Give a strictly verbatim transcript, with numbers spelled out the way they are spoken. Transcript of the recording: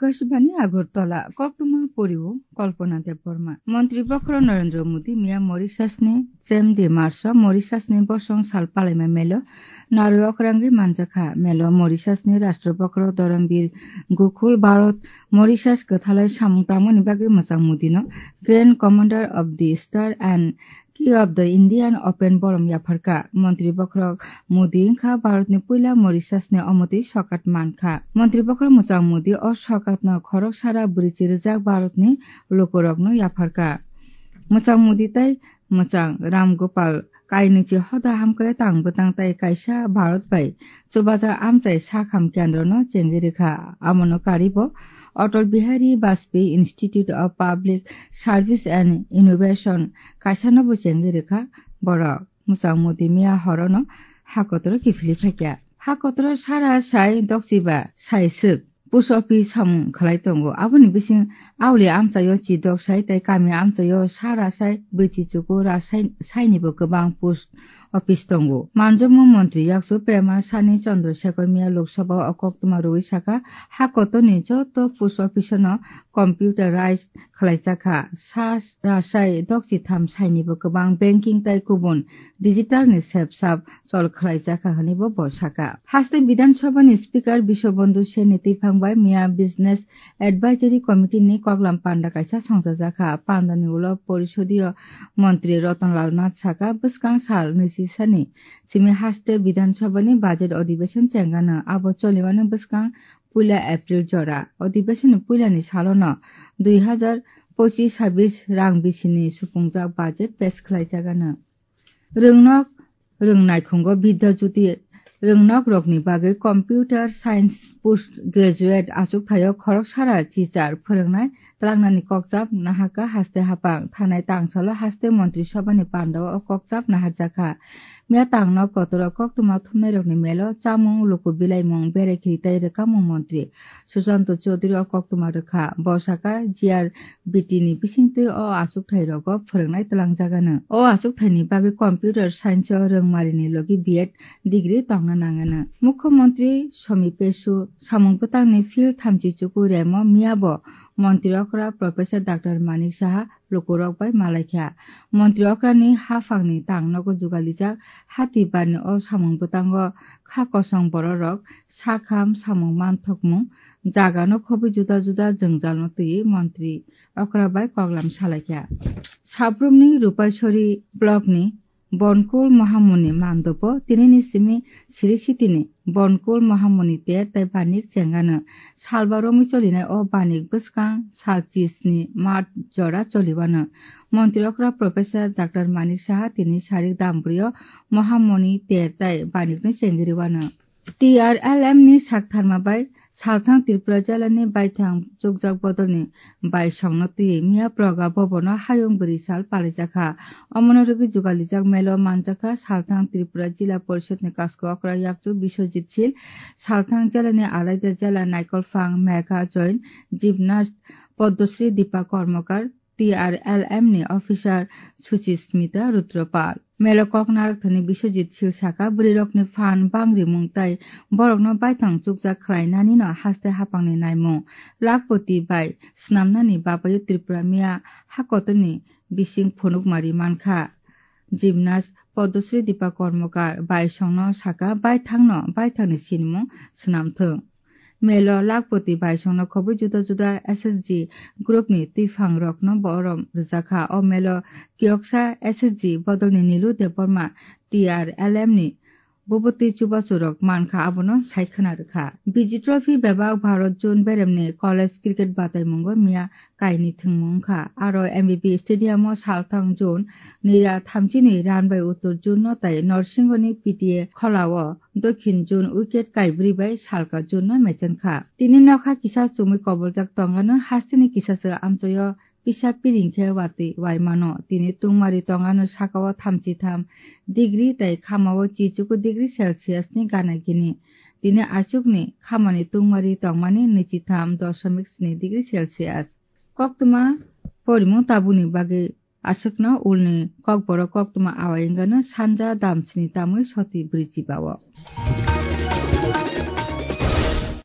Akashbani Agartala, koktwma poriwo Kalpana Debbarma. Montri bokhorok Narendra Modi miya Mauritiusni chem de Marso Mauritiusni bosong sal palaima melo narwi okrangwi manjakha. Melo Mauritiusni Rashtra bokhorok Dharambir Gokul Bharat Mauritius kwthalai samung tangmani bagwi mwchang Modino Grand Commander of the Star and Key of the Indian Open borom yapharkha. Montri bokhorok Modi wngkha Bharatni puila Mauritiusni omotwi sokat mankha. Montri bokhorok mwchang Modi o sokatno khorok sara bwrwichi rijak Bharatni lukurokno yapharkha. Mwchang Modi tei mwchang Ram Gopal kainwichi hoda hamkrai tang bwtang tei kaisa Bharat bai chubajak amchai sakham kendrono chengwi rwkha. Amono karibo Atal Bihari Vajpayee Institute of Public Service and Innovation kaisano bo chengwi rwkha borok. Mwchang Modi miya horono hakotoro kiphilwi phaikha. Hakotoro sara sai dokchiba sai swk post office samung khlai tongo. Aboni bising auli amchaio chidok sai tei kami amchaio sara sai bwrwichi chuku ra sai, sainibo kwbang post office tongo. Manjokmung montri yakchu Prema Sani Chandrasekhar miya Lok Sabha o koktwma rwui sakha, hakotorni joto post office no computerized khlaijakha. Sa rasai dokchitham sainibo kwbang banking tei kubun digital ni sepsap chol khlaijakha hwnwi bo bo sakha. Haste Bidhan Sabha ni Speaker Biswabandhu Sen ni twiphang bai miya Business Advisory Committee ni koklam panda kaisa songchajakha. Panda ni ulo Porisodiyo Montri Ratan Lal Nath sakha, bwskang sal nwichi sani simi haste Bidhan Sabha ni budget adhibeshon chengano. Abo cholimano bwskang puila April jora. Adhibeshon ni puila ni salo no dui hazar pochis sabis rang bisini supungjak budget pass khlaijagano. Rwngnok rwngnaikhungo Bidya Jyoti rwngnokrokni bagwi Computer Science Post Graduate achukthai-o khorok sara chichar phwrwngnai twlangnani kokchap nahakha haste hapang. Thanai tangsalo haste Montri Sabhani pandao o kokchap naharjakha. Miya tangno kotoro koktwma thumnairokni melo chamung, luku bilaimung, berai khiri tei rwkamung montri Susanto Chaudhary o koktwma rwkha. Bo sakha, G R B T ni bisingtwi o achukthai rogo phwrwngnai twlangjagano. O achukthai ni bagwi computer science o rwngmari ni logi B Ed degree tongna nangano. Mukhyamantri Somi Pesu samung bwtang ni field thamchi chuku remo miya bo montri okra Professor Doctor Manik Saha lukurok bai malaikha. Montri okrani haphangni tangnogo jugalijak hati barni o samung bwtango kha kosong bororok sakham samung manthokmung jagano khobwi juda juda jwngjalno twiwi montri okra bai koklam salaikha. Sabrumni Rupaisori blockni Bonkol Mohamoni mandopo tinini simi siri sitini Bonkol Mohamoni ter tei banik chengano salba romwi cholinai o banik bwskang sal chisni March jora choliwano. Montri okra Professor Doctor Manik Saha tini sarik dambrio Mohamoni ter tei banikno chengriwano. T R L M ni saktharma bai salthang Tripura jela ni baithang chukjak bodol ni baisongno twi miya proga bobono hayung bwrwi sal palaijak kha. Omono rwgwi jugalijak melo manjak kha salthang Tripura Jila Porishod ni kasko okra yakchu Biswajit Sil, salthang jela ni alaida jela Naikolphang Megha Join, gymnast Padmasri Deepa Karmakar, T R L M ni officer Suchimita Rudra Pal. Melo kok narwkthani Biswajit Sil saka, bwrwirokni phan bangrimung tei borokno baithang chukjak khlainanino haste haphangni naimung. Lakhpoti bai swnamnani babayo Tripura miya hakotoni bising phunukmari mankha. Gymnast Padmasri Deepa Karmakar baisongno saka, baithangno baithangni sinimung swnamthung. Melo Lakhpoti baisongno khobwi juda juda S S G group ni twiphang rokno borom rwjakha. O melo kiyoksa S S G bodolni Nilu Debbarma T R L M ni bubutwi chubachu rok mankha, abono sai khwna rwkha. Bijay Trophy bebak Bharat Zone beremni college cricket bataimungo miya kaini thwngmung wngkha. Aro M B B Stadium o salthang zone nira thamchini run bai uttor zone no tei Norsingho ni P T A khola o dokhin zone wicket kaibrwi bai salka zone no mechenkha. Tini nokha kisa chumui koboljak tongano hasteni kisa se amchaio pisa piring khe watwi waimano. Tini tungmari tongano sakao thamchi tham degree tei khamao chichuku degree Celsius ni gana gini. Tini achukni khamani tungmari tongmani nwichi tham doshomik sni degree Celsius. Koktwma porimung tabukni bagwi aswkno ulni kokborok koktwma awai wngano sanja damsini tamwi soti bwrwi chibao.